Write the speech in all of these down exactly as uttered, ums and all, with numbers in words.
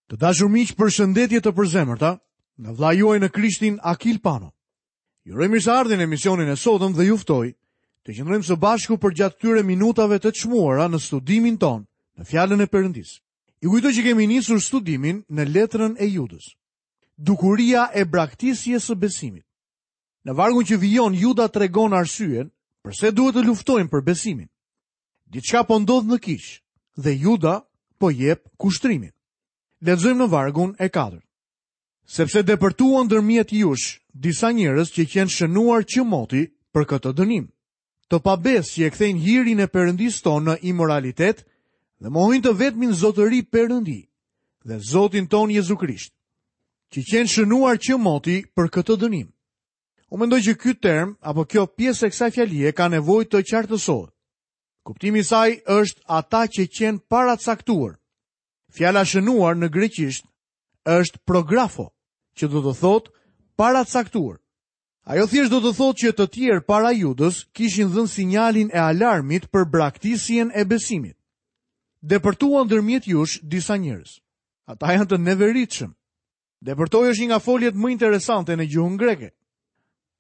Të dashur miq, përshëndetje të përzemërta nga vëllai juaj në Krishtin Akil Pano. Ju uroj mirëseardhjen në emisionin e sotëm dhe ju ftoj të qëndrojmë së bashku përgjatë këtyre minutave të çmuara në studimin tonë në Fjalën e Perëndisë. Ju kujtoj që kemi nisur studimin në letrën e Judës. Dukuria e braktisjes së besimit. Në vargun që vijon, Juda tregon arsyen përse duhet të luftojmë për besimin. Diçka po ndodh në kishë dhe Juda po jep kushtrimin. Lexojmë në vargun e katërt. Sepse depërtuan ndërmjet jush disa njerëz që qenë shënuar që moti për këtë dënim. Të pabesë që e kthejnë hirin e Perëndisë tonë në imoralitet dhe mohojnë të vetmin zotëri Perëndi dhe Zotin tonë Jezu Krisht, që qenë shënuar që moti për këtë dënim. Unë mendoj që ky term apo kjo pjesë e kësaj fjalie ka nevojë të qartësohet. Kuptimi i saj është ata që qenë paracaktuar. Fjala shënuar në greqisht është prografo, që do të thotë paracaktuar. Ajo thjesht do të thotë që të tjerë para Judës kishin dhënë sinjalin e alarmit për braktisjen e besimit. Depërtuan ndërmjet jush disa njerëz. Ata janë të neveritshëm. Depërtoi është një nga foljet më interesante në gjuhën greke.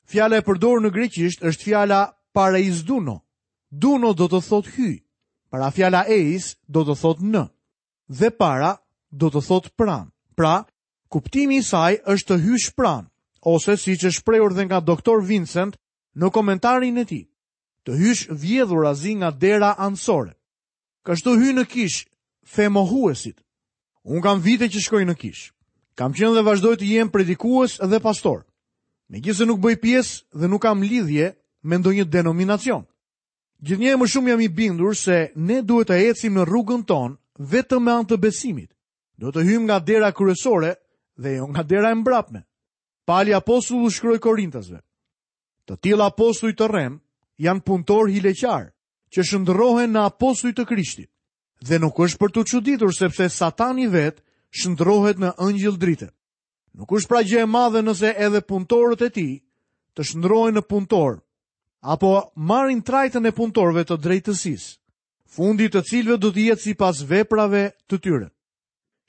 Fjala e përdorur në greqisht është fjala paraizduno. Duno do të thotë hyj. Para fjala eis do të thotë në. Dhe para do të thotë pranë. Pra, kuptimi i saj është të hysh pranë, ose siç është shprehur dhe nga doktor Vincent në komentarin e tij, të hysh vjedhurazi nga dera anësore. Kështu hyjnë në kish femohuesit. Unë kam vite që shkoj në kish. Kam qenë dhe vazhdoj të jem predikues dhe pastor. Megjithëse nuk bëj pjesë dhe nuk kam lidhje me ndonjë denominacion. Gjithnjë e më shumë jam i bindur se ne duhet të ecim në rrugën tonë vetëm me anë të besimit. Do të hyjmë nga dera kryesore dhe jo nga dera e mbrapme. Pali apostullu shkroi Korintasve. Të tillë apostuj të rrem janë punëtor hileqar që shndërrohen në apostuj të Krishtit. Dhe nuk është për t'u çuditur sepse Satani vet shndërrohet në ëngjëll drite. Nuk është pra gjë e madhe nëse edhe punëtorët e tij të shndërrohen në punëtor apo marrin trajtën e punëtorëve të drejtësisë, fundi të cilëve do të jetë sipas veprave të tyre.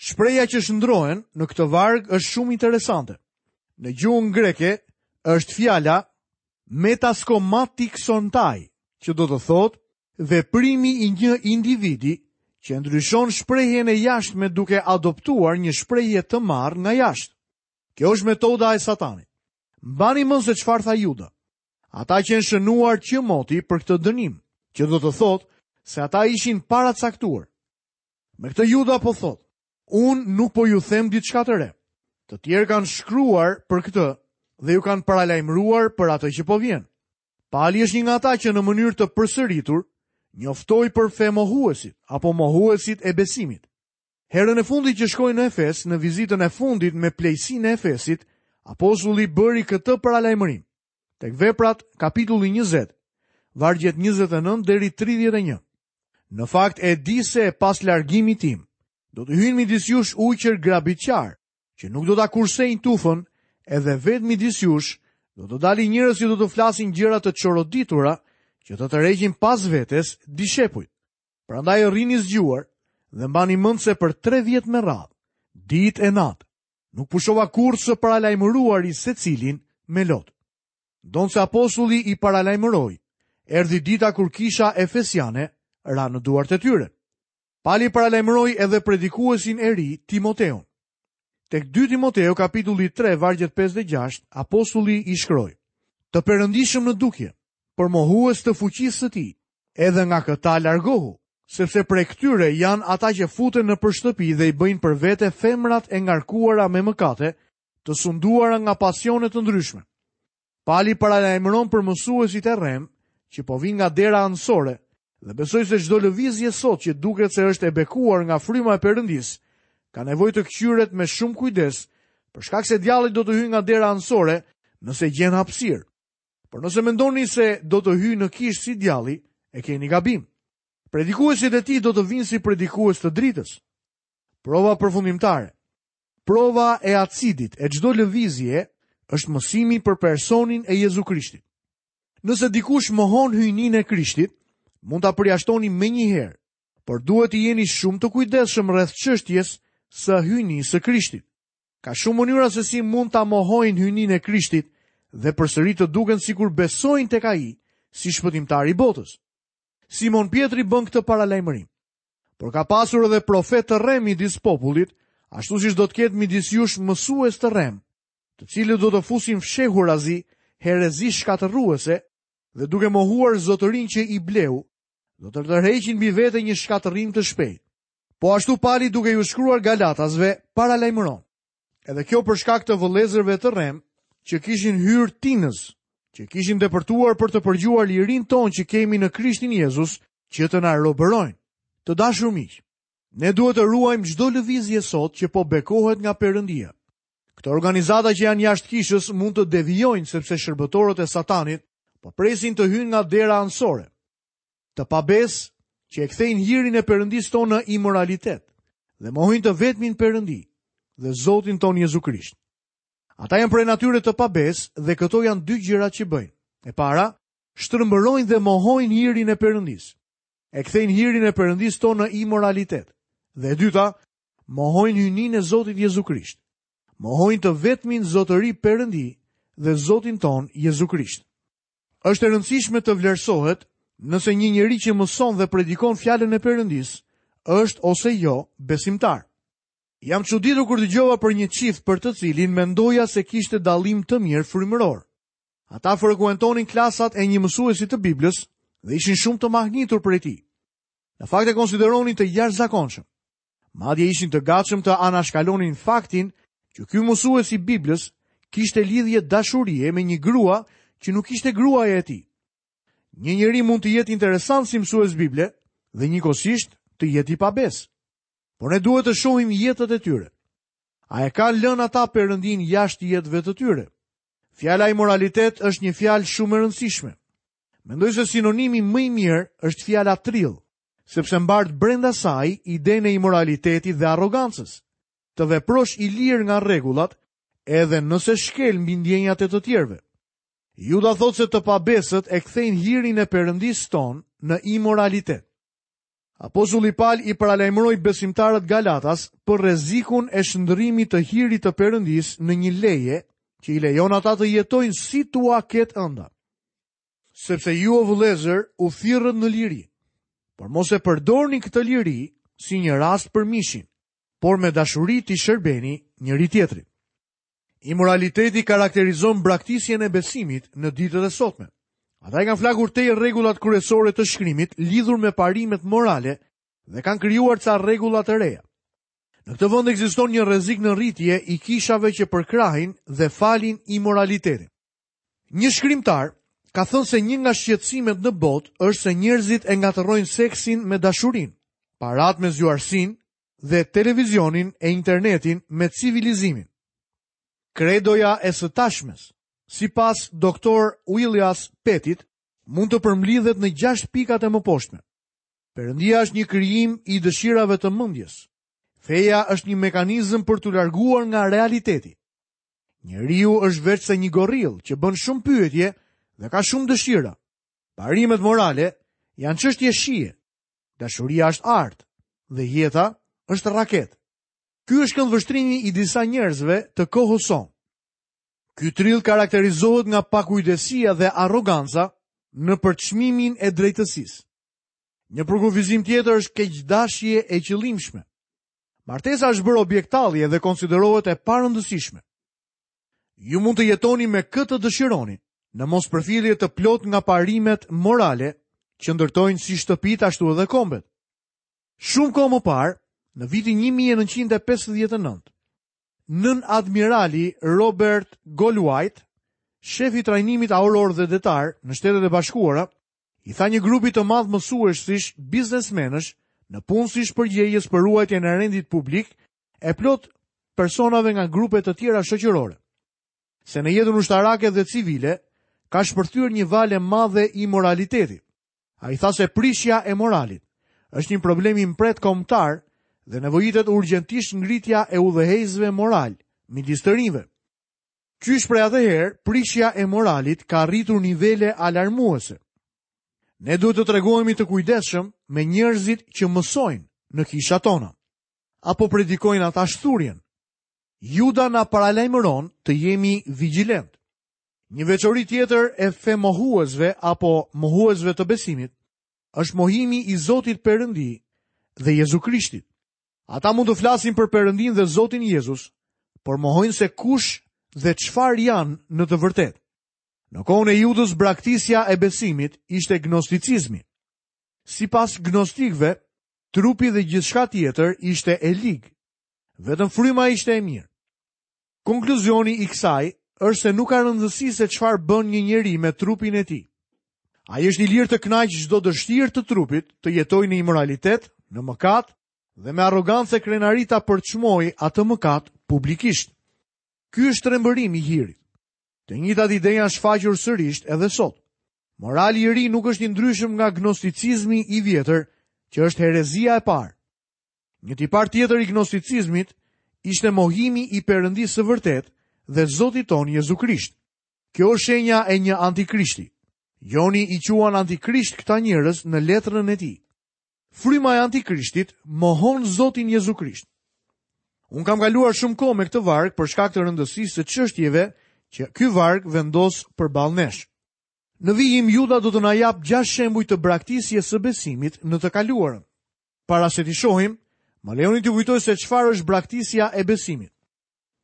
Shpreha që shndrohen në këtë varg është shumë interesante. Në gjuhën greke është fjala metaskomatikson-tai, që do të thotë veprimi i një individi që ndryshon shprehjen e jashtme duke adoptuar një shprehje të marrë nga jashtë. Kjo është metoda e Satanit. Mbani mend se çfarë tha Juda. Ata që janë shënuar që moti për këtë dënim, që do të thotë se ata ishin paracaktuar. Me këtë Juda po thotë, unë nuk po ju them diçka të re. Të tjerë kanë shkruar për këtë dhe ju kanë paralajmëruar për atë që po vjen. Pali është një nga ata që në mënyrë të përsëritur njoftoi për femohuesit apo mohuesit e besimit. Herën e fundit që shkoi në Efes, në vizitën e fundit me plejsinë e Efesit, apostulli bëri këtë paralajmërim. Tek Veprat, kapitulli njëzet, vargjet njëzet e nëntë deri tridhjetë e një. Në fakt e di se pas largimit tim, do të hyjnë midis jush ujqër grabitqar, që nuk do ta kursejnë tufën, edhe vetë midis jush do të dalin njerëz që do të flasin gjëra të çoroditura, që të tërheqin pas vetes dishepujt. Prandaj rrini zgjuar dhe mbani mend se për tre vjet me radhë, ditë e natë, nuk pushova kurrë së paralajmëruari secilin me lot. Ndonse apostulli i paralajmëroi, erdhi dita kur kisha efesiane ra në duart e tyre. Pali paralajmëroi edhe predikuesin e ri Timoteun. Tek dy Timoteu kapitulli tre vargjet pesë dhe gjashtë, apostulli i shkroi: Të perëndishëm në dukje, por mohues të fuqisë së tij, edhe nga këta largohu, sepse prej këtyre janë ata që futen në për shtëpi dhe i bëjnë për vete femrat e ngarkuara me mëkate, të sunduara nga pasione të ndryshme. Pali paralajmëron për mësuesit e rrem që po vinë nga dera anësore dhe besoj se çdo lëvizje sot që duket se është e bekuar nga fryma e Perëndisë, ka nevojë të kqyret me shumë kujdes, për shkak se djalli do të hyjë nga dera anësore nëse gjen hapësirë. Por nëse mendoni se do të hyjë në kishë si djalli, e keni gabim. Predikuesit e tij do të vinë si predikues të dritës. Prova përfundimtare. Prova e acidit e çdo lëvizje është mësimi për personin e Jezu Krishtit. Nëse dikush mohon hyjninë e Krishtit, mund ta përjashtoni menjëherë, por duhet të jeni shumë të kujdesshëm rreth çështjes së hyjnisë së Krishtit. Ka shumë mënyra se si mund ta mohojnë hyjninë e Krishtit dhe përsëri të duken sikur besojnë tek ai si shpëtimtar i botës. Simon Pjetri bën këtë paralajmërim. Por ka pasur edhe profet të rrem midis popullit, ashtu siç do të ketë midis jush mësues të rrem, të cilët do të fusin fshehurazi herezi shkatërruese dhe duke mohuar zotërinë që i bleu, do të tërheqin mbi vete një shkatërrim të shpejtë. Po ashtu Pali duke ju shkruar Galatasve paralajmëron. Edhe kjo për shkak të vëllezërve të rrem që kishin hyrë tinës, që kishin depërtuar për të përgjuar lirinë tonë që kemi në Krishtin Jezus, që të na robërojnë. Të dashur miq, ne duhet të ruajmë çdo lëvizje sot që po bekohet nga Perëndia. Këto organizata që janë jashtë kishës mund të devijojnë sepse shërbëtorët e Satanit po presin të hyjnë nga dera anësore. Të pabes që e kthejnë hirin e Perëndisë tonë në imoralitet dhe mohojnë të vetmin Perëndi dhe Zotin tonë Jezu Krisht. Ata janë prej natyre të pabes dhe këto janë dy gjërat që bëjnë. E para, shtrembërojnë dhe mohojnë hirin e Perëndisë. E kthejnë hirin e Perëndisë tonë në imoralitet. Dhe e dyta, mohojnë hyjninë e Zotit Jezu Krisht. Mohojnë të vetmin zotëri Perëndi dhe Zotin tonë Jezu Krisht. Është e rëndësishme të vlerësohet nëse një njeri që mëson dhe predikon fjalën e Perëndisë është ose jo besimtar. Jam çuditur kur dëgjova për një çift për të cilin mendoja se kishte dallim të mirë frymëror. Ata frekuentonin klasat e një mësuesi të Biblës dhe ishin shumë të mahnitur prej tij. Në fakt e konsideronin të jashtëzakonshëm. Madje ishin të gatshëm të anashkalonin faktin që ky mësues i Biblës kishte lidhje dashurie me një grua që nuk ishte gruaja e tij. Një njeri mund të jetë interesant si mësues Bible dhe njëkohësisht të jetë i pabes. Por ne duhet të shohim jetët e tyre. A e kanë lënë ata Perëndin jashtë jetëve të tyre? Fjala imoralitet është një fjalë shumë e rëndësishme. Mendoj se sinonimi më i mirë është fjala trill, sepse mbart brenda saj idenë e imoralitetit dhe arrogancës. Të veprosh i lirë nga rregullat, edhe nëse shkel mbi ndjenjat e të tjerëve. Juda thotë se të pabesët e kthejnë hirin e Perëndisë tonë në imoralitet. Apostulli Pal i paralajmëroi besimtarët Galatas për rrezikun e shndërrimit të hirit të Perëndisë në një leje që i lejon ata të jetojnë si t'ua ketë ënda. Sepse ju, o vëllezër, u thirrët në liri, por mos e përdorni këtë liri si një rast për mishin, por me dashuri t'i shërbeni njëri tjetrit. Imoraliteti karakterizon braktisjen e besimit në ditët e sotme. Ata i kanë flakur tej rregullat kryesore të shkrimit lidhur me parimet morale dhe kanë krijuar ca rregulla të reja. Në këtë vend ekziston një rrezik në rritje i kishave që përkrahin dhe falin imoralitetin. Një shkrimtar ka thënë se një nga shqetësimet në botë është se njerëzit e ngatërrojnë seksin me dashurinë, parat me zgjuarsinë dhe televizionin e internetin me civilizimin. Kredoja e së tashmes, sipas doktor Willias Pettit, mund të përmblidhet në gjashtë pikat e mëposhtme. Perëndia është një krijim i dëshirave të mendjes. Feja është një mekanizëm për t'u larguar nga realiteti. Njeriu është veçse një goril që bën shumë pyetje dhe ka shumë dëshira. Parimet morale janë çështje shije. Dashuria është art dhe jeta është raket. Ky është këndvështrimi i disa njerëzve të kohës sonë. Ky trill karakterizohet nga pakujdesia dhe arroganca në përçmimin e drejtësisë. Një përkufizim tjetër është keqdashje e qëllimshme. Martesa është bërë objekt tallje dhe konsiderohet e parëndësishme. Ju mund të jetoni me këtë dëshironi, në mospërfillje të plot nga parimet morale që ndërtojnë si shtëpitë ashtu edhe kombet. Shumë kohë më parë, në vitin një mijë e nëntëqind e pesëdhjetë e nëntë, nën admirali Robert Goldwhite, shefi i trajnimit auror dhe detar në Shtetet e Bashkuara, i tha një grupi të madh mësuesish, biznesmenësh, në punësish përgjegjës për ruajtjen e rendit publik e plot personave nga grupe të tjera shoqërore, se në jetën ushtarake dhe civile ka shpërthyer një valë e madhe imoraliteti. Ai tha se prishja e moralit është një problem i mprehtë kombëtar dhe nevojitet urgjentisht ngritja e udhëheqësve moral midis të rinjve. Qysh prej atëherë, prishja e moralit ka arritur nivele alarmuese. Ne duhet të tregohemi të kujdesshëm me njerëzit që mësojnë në kishat tona. Apo predikojnë ata shthurjen? Juda na paralajmëron të jemi vigjilent. Një veçori tjetër e femohuesve apo mohuesve të besimit është mohimi i Zotit Perëndi dhe Jezu Krishtit. Ata mund të flasin për Perëndin dhe Zotin Jezus, por mohojnë se kush dhe çfarë janë në të vërtetë. Në kohën e Judës, braktisja e besimit ishte gnosticizmi. Sipas gnostikëve, trupi dhe gjithçka tjetër ishte e lig. Vetëm fryma ishte e mirë. Konkluzioni i kësaj është se nuk ka rëndësi se çfarë bën një njeri me trupin e tij. Ai është i lirë të kënaqë çdo dëshirë të trupit, të jetojë në imoralitet, në mëkat dhe me arrogancë e krenari ta përçmojë atë mëkat publikisht. Ky është trembërimi i hirit. Të njëjtat ide janë shfaqur sërish edhe sot. Morali i ri nuk është i ndryshëm nga gnosticizmi i vjetër, që është herezia e parë. Një tipar tjetër i gnosticizmit ishte mohimi i Perëndisë së vërtetë dhe Zotit ton Jezu Krisht. Kjo është shenja e një antikrishti. Joni i quan antikrisht këta njerëz në letrën e tij. Fryma e antikrishtit mohon Zotin Jezu Krisht. Unë kam kaluar shumë kohë me këtë varg për shkak të rëndësisë së çështjeve që ky varg vendos përballë nesh. Në vijim Juda do të na jap gjashtë shembuj të braktisjes së besimit në të kaluarën. Para se t'i shohim, më lejoni t'ju kujtoj se çfarë është braktisja e besimit.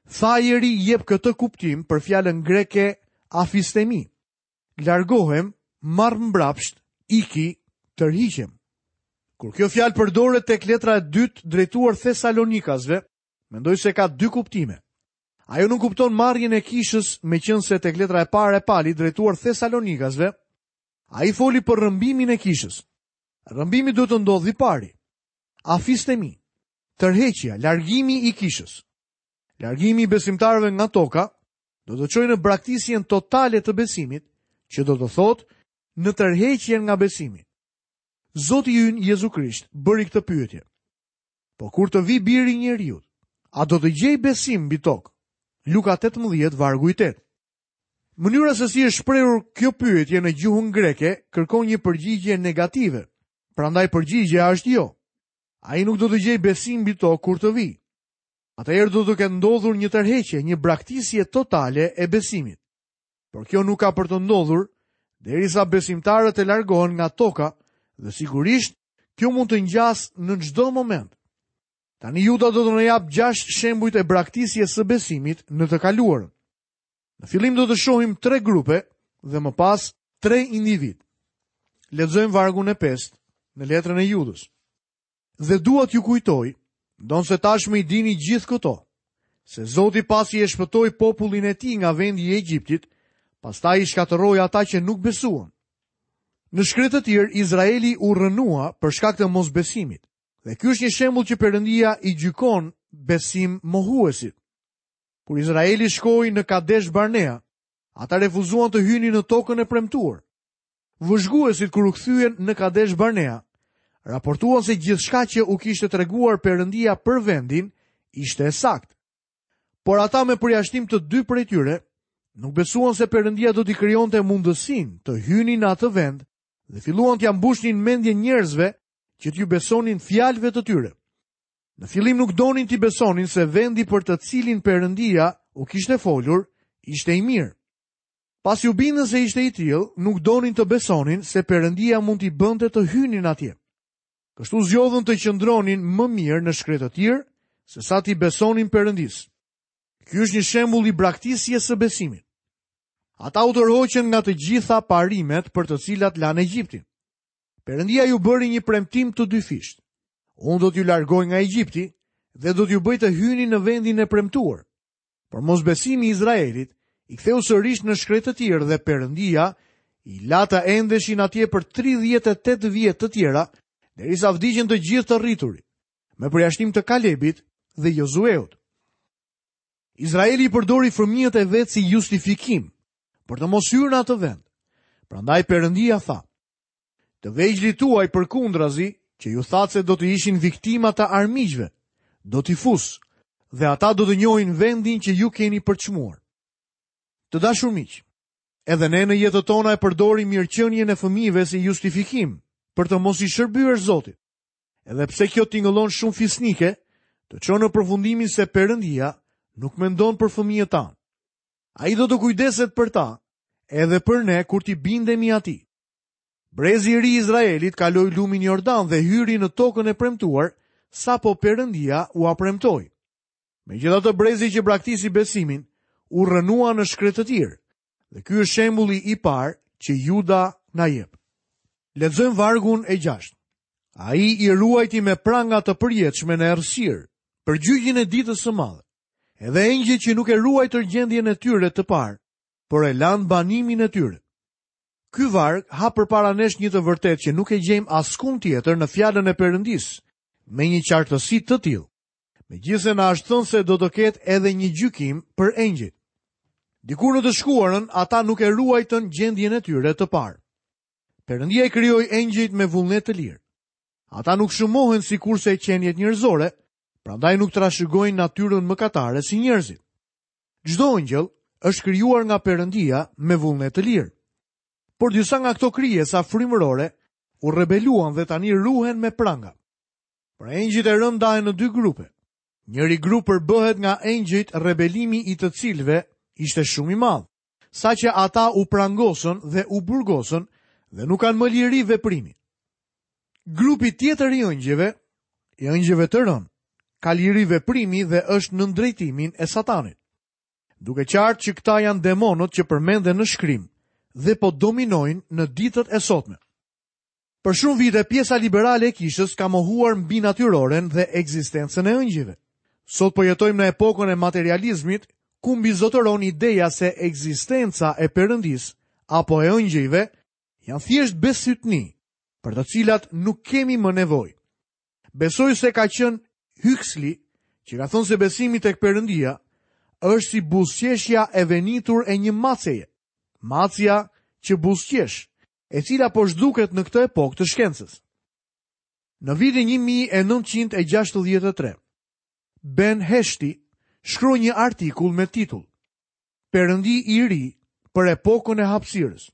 Thayeri jep këtë kuptim për fjalën greke afistemi. Largohem, marr mbrapsht, iki, tërhiqem. Kur kjo fjalë përdoret tek letra e dytë drejtuar Thesalonikasve, mendoj se ka dy kuptime. Ajo nuk kupton marrjen e kishës, meqense tek letra e parë e Palit drejtuar Thesalonikasve, ai foli për rrëmbimin e kishës. Rrëmbimi duhet të ndodhë i pari. Afistemi, tërheqja, largimi i kishës. Largimi i besimtarëve nga toka do të çojë në braktisjen totale të besimit, që do të thotë në tërheqjen nga besimi. Zoti ynë Jezu Krisht bëri këtë pyetje. Po kur të vi biri i njeriut, a do të gjej besim mbi tokë? Luka tetëmbëdhjetë, vargu i tetë. Mënyra se si është shprehur kjo pyetje në gjuhën greke kërkon një përgjigje negative. Prandaj përgjigjja është jo. Ai nuk do të gjej besim mbi tokë kur të vi. Atëherë do të ketë ndodhur një tërheqje, një braktisje totale e besimit. Por kjo nuk ka për të ndodhur derisa besimtarët e largohen nga toka dhe sigurisht kjo mund të ngjasë në çdo moment. Tani Juda do të na jap gjashtë shembujt e braktisjes së besimit në të kaluarën. Në fillim do të shohim tre grupe dhe më pas tre individ. Lexojmë vargun e pestë në letrën e Judës. Dhe dua t'ju kujtoj, ndonse tashmë i dini gjithë këto, se Zoti pasi e shpëtoi popullin e tij nga vendi i Egjiptit, pastaj i shkatërroi ata që nuk besuan. Në shkretëtirë, Izraeli u rrënua për shkak të mosbesimit. Dhe ky është një shembull që Perëndia i gjykon besim mohuesit. Kur Izraeli shkoi në Kadesh Barnea, ata refuzuan të hynin në tokën e premtuar. Vëzhguesit kur u kthyen në Kadesh Barnea, raportuan se gjithçka që u kishte treguar Perëndia për vendin ishte e saktë. Por ata me përjashtim të dy prej tyre, nuk besuan se Perëndia do t'i krijonte mundësinë të hynin në atë vend dhe filluan t'ia mbushnin mendjen njerëzve që t'ju besonin fjalëve të tyre. Në fillim nuk donin t'i besonin se vendi për të cilin Perëndia u kishte folur ishte i mirë. Pasi u bindën se ishte i tillë, nuk donin të besonin se Perëndia mund t'i bënte të hynin atje. Kështu zgjodhën të qëndronin më mirë në shkretëtirë se sa t'i besonin Perëndisë. Ky është një shembull i braktisjes së besimit. Ata u tërhoqën nga të gjitha parimet për të cilat lanë Egjiptin. Perëndia ju bëri një premtim të dyfisht. Unë do t'ju largoj nga Egjipti dhe do t'ju bëj të hyni në vendin e premtuar. Por mosbesimi i Izraelit i ktheu sërish në shkretëtirë dhe Perëndia i la të endeshin atje për tridhjetë e tetë vjet të tjera, derisa vdiqën të gjithë të rriturit, me përjashtim të Kalebit dhe Jozueut. Izraeli i përdori fëmijët e vet si justifikim për të mos hyrë në atë vend. Prandaj Perëndia tha: Të vegjlit tuaj përkundrazi, që ju thatë se do të ishin viktima të armiqve, do t'i fus dhe ata do të njohin vendin që ju keni përçmuar. Të dashur miq, edhe ne në jetët tona e përdorim mirëqenien e fëmijëve si justifikim për të mos i shërbyer Zotit. Edhe pse kjo tingëllon shumë fisnike, të çon në përfundimin se Perëndia nuk mendon për fëmijët tanë. Ai do të kujdeset për ta, edhe për ne kur t'i bindemi atij. Brezi i ri i Izraelit kaloi lumin Jordan dhe hyri në tokën e premtuar, sapo Perëndia ua premtoi. Megjithatë brezi që braktisi besimin u rrënua në shkretëtirë, dhe ky është shembulli i parë që Juda na jep. Lexojmë vargun e gjashtë. Ai i ruajti me pranga të përjetshme në errësirë, për gjyqin e ditës së madhe. Edhe engjëjt që nuk e ruajtën gjendjen e tyre të parë, por e lanë banimin e tyre. Ky varg hap përpara nesh një të vërtetë që nuk e gjejmë askund tjetër në fjalën e Perëndisë, me një qartësi të tillë. Megjithëse na është thënë se do të ketë edhe një gjykim për engjëjt. Dikur në të shkuarën ata nuk e ruajtën gjendjen e tyre të parë. Perëndia i krijoi engjëjt me vullnet të lirë. Ata nuk shumohen sikurse qeniet njerëzore, prandaj nuk trashëgojnë natyrën mëkatare si njerëzit. Çdo engjëll është krijuar nga Perëndia me vullnet të lirë. Por disa nga këto krijesa frymërore u rebeluan dhe tani ruhen me pranga. Pra engjëjt e rënë ndahen në dy grupe. Njëri grup përbëhet nga engjëjt rebelimi i të cilëve ishte shumë i madh, saqë ata u prangosën dhe u burgosën dhe nuk kanë më liri veprimi. Grupi tjetër i engjëjve, i engjëjve të rënë, ka liri veprimi dhe është nën drejtimin e Satanit. Duke qartë që këta janë demonët që përmenden në shkrim dhe po dominojnë në ditët e sotme. Për shumë vite pjesa liberale e kishës ka mohuar mbi natyroren dhe ekzistencën e engjëjve. Sot po jetojmë në epokën e materializmit, ku mbizotëron ideja se ekzistenca e Perëndisë apo e engjëjve janë thjesht besytni, për të cilat nuk kemi më nevojë. Besoj se ka qenë Huxley që ka thënë se besimi tek Perëndia është si buzëqeshja e venitur e një maceje, macja që buzëqesh, e cila po zhduket në këtë epokë të shkencës. Në vitin një mijë e nëntëqind e gjashtëdhjetë e tre, Ben Heshti shkroi një artikull me titull Perëndi i ri për epokën e hapësirës.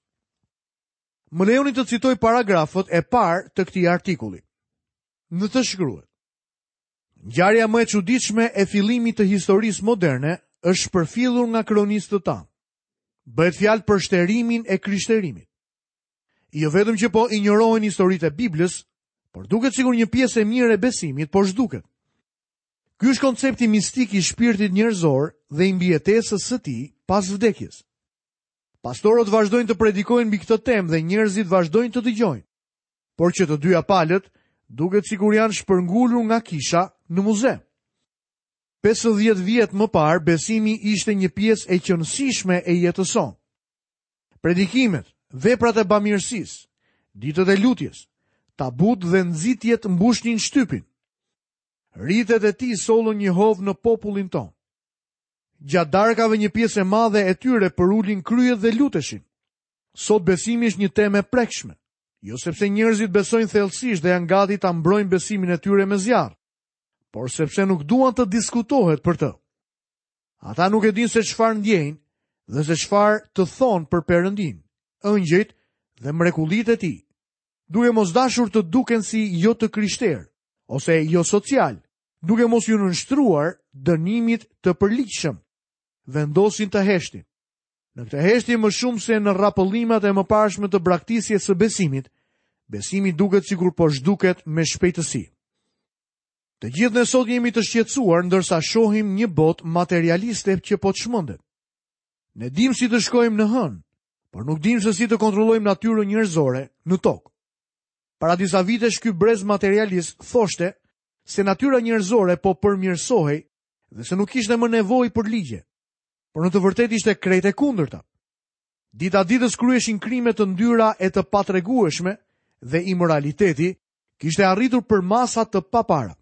Më lejoni të citoj paragrafët e parë të këtij artikulli. Në të shkruhet: Ngjarja më e çuditshme e fillimit të historisë moderne është shpërfillur nga kronistët tanë. Bëhet fjalë për shterimin e krishterimit. Jo vetëm që po injorohen historitë e Biblës, por duket sikur një pjesë e mirë e besimit po zhduket. Ky është koncepti mistik i shpirtit njerëzor dhe i mbijetesës së tij pas vdekjes. Pastorët vazhdojnë të predikojnë mbi këtë temë dhe njerëzit vazhdojnë të dëgjojnë. Por që të dyja palët duket sikur janë shpërngulur nga kisha në muze. pesëdhjetë vjet më parë besimi ishte një pjesë e qenësishme e jetës sonë. Predikimet, veprat e bamirësisë, ditët e lutjes, tabut dhe nxitjet mbushnin shtypin. Ritet e tij sollën një hov në popullin tonë. Gjatë darkave një pjesë e madhe e tyre përulin kryet dhe luteshin. Sot besimi është një temë e prekshme, jo sepse njerëzit besojnë thellësisht dhe janë gati ta mbrojnë besimin e tyre me zjarr, por sepse nuk duan të diskutohet për të. Ata nuk e dinë se çfarë ndjejnë dhe se çfarë të thonë për Perëndin, engjëjt dhe mrekullitë e tij, duke mos dashur të duken si jo të krishterë ose jo social, duke mos ju nënshtruar dënimit të përligjshëm, vendosin të heshtin. Në këtë heshtje më shumë se në rrapëllimat e mëparshme të braktisjes së besimit, besimi duket sikur po zhduket me shpejtësi. Të gjithë ne sot jemi të shqetësuar ndërsa shohim një botë materialiste që po çmendet. Ne dim si të shkojmë në hënë, por nuk dim se si të kontrollojmë natyrën njerëzore në tokë. Para disa vitesh ky brez materialist thoshte se natyra njerëzore po përmirësohej dhe se nuk kishte më nevojë për ligje. Por në të vërtetë ishte krejt e kundërta. Dita ditës kryeshin krime të ndyra e të patregueshme dhe imoraliteti kishte arritur për masa të papara.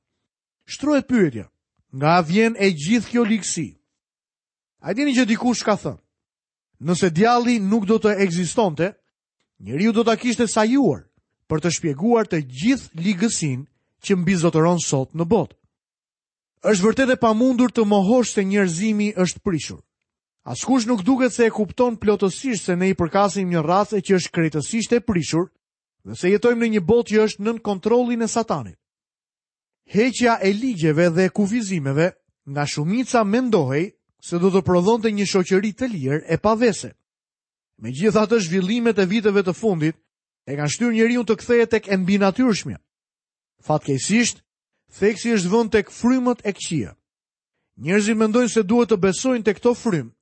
Shtrohet pyetja, nga vjen e gjithë kjo ligësi? A e dini që dikush ka thënë, nëse djalli nuk do të ekzistonte, njeriu do ta kishte sajuar për të shpjeguar të gjithë ligësinë që mbizotëron sot në botë. Është vërtet e pamundur të mohosh se njerëzimi është prishur. Askush nuk duket se e kupton plotësisht se ne i përkasim një race që është krejtësisht e prishur dhe se jetojmë në një botë që është nën kontrollin e Satanit. Heqja e ligjeve dhe kufizimeve nga shumica mendohej se do të prodhonte një shoqëri të lirë e pa vese. Megjithatë, zhvillimet e viteve të fundit e kanë shtyrë njeriu të kthehet tek e mbinatyrshmja. Fatkeqësisht, theksi është vënë tek frymët e këqija. Njerëzit mendojnë se duhet të besojnë tek këto frymë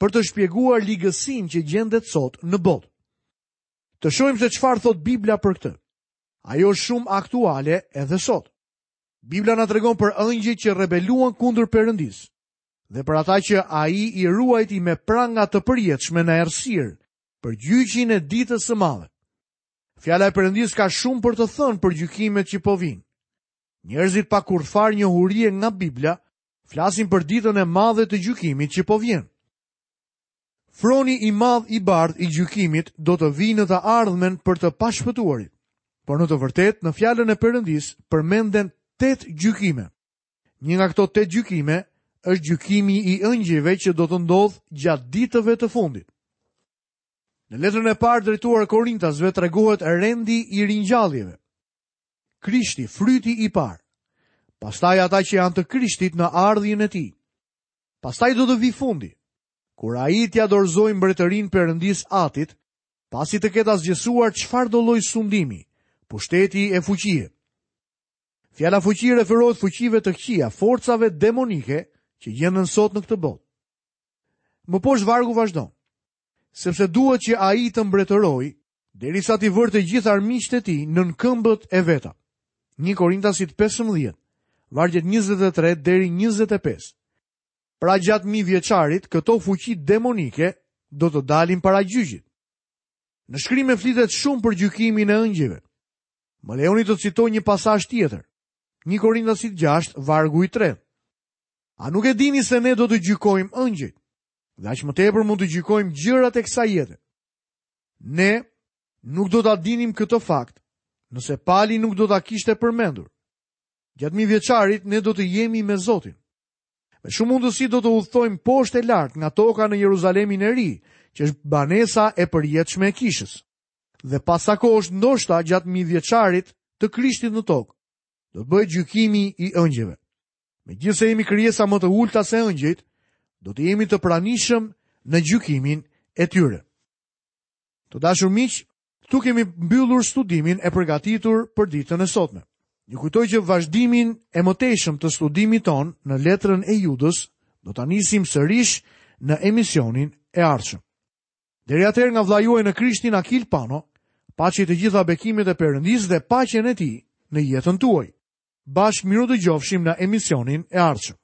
për të shpjeguar ligësinë që gjendet sot në botë. Të shohim se çfarë thot Bibla për këtë. Ajo është shumë aktuale edhe sot. Bibla na tregon për ëngjëjt që rebeluan kundër Perëndisë dhe për ata që ai i ruajti me pranga të përjetshme në errësirë, për gjyqin e ditës së madhe. Fjala e Perëndisë ka shumë për të thënë për gjykimet që po vijnë. Njerëzit pa kurrfarë njohurie nga Bibla flasin për ditën e madhe të gjykimit që po vjen. Froni i madh i bardhë i gjykimit do të vijë në të ardhmen për të pashpëtuarit. Por në të vërtetë, në fjalën e Perëndisë përmenden tetë gjykime. Një nga këto tetë gjykime është gjykimi i ëngjëjve që do të ndodhë gjatë ditëve të fundit. Në letrën e parë drejtuar Korintasve tregohet rendi i ringjalljeve. Krishti, fryti i parë. Pastaj ata që janë të Krishtit në ardhjen e tij. Pastaj do të vi fundi, kur ai t'ia dorëzojë mbretërinë Perëndisë Atit, pasi të ketë asgjësuar çfarëdo lloj sundimi, pushteti e fuqie. Fjala fuqi referohet fuqive të këqija, forcave demonike që gjenden sot në këtë botë. Më poshtë vargu vazhdon. Sepse duhet që ai të mbretërojë derisa t'i vërë të gjithë armiqtë e tij nën këmbët e veta. Një Korintasit pesëmbëdhjetë, vargjet njëzet e tre deri njëzet e pesë. Pra gjatë mijëvjeçarit, këto fuqi demonike do të dalin para gjyqit. Në shkrime flitet shumë për gjykimin e ëngjëjve. Më lejoni të citoj një pasazh tjetër. Një Korintasit gjashtë, vargu i tretë. A nuk e dini se ne do të gjykojmë ëngjëjt? Dhe aq më tepër mund të gjykojmë gjërat e kësaj jete. Ne nuk do ta dinim këtë fakt, nëse Pali nuk do ta kishte përmendur. Gjatë mijëvjeçarit ne do të jemi me Zotin. Me shumë mundësi do të udhtojmë poshtë e lart nga toka në Jeruzalemin e Ri, që është banesa e përjetshme e kishës. Dhe pas sa kohësh ndoshta gjatë mijëvjeçarit të Krishtit në tokë, do të bëhet gjykimi i ëngjëjve. Megjithëse jemi krijesa më të ulta se ëngjëjt, do të jemi të pranishëm në gjykimin e tyre. Të dashur miq, këtu kemi mbyllur studimin e përgatitur për ditën e sotme. Ju kujtoj që vazhdimin e mëtejshëm të studimit ton në letrën e Judës do ta nisim sërish në emisionin e ardhshëm. Deri atëherë nga vëllai juaj në Krishtin Akil Pano, paçi të gjitha bekimet e Perëndisë dhe paqen e tij në jetën tuaj. Bashkë miru dëgjofshim në emisionin e ardhshëm.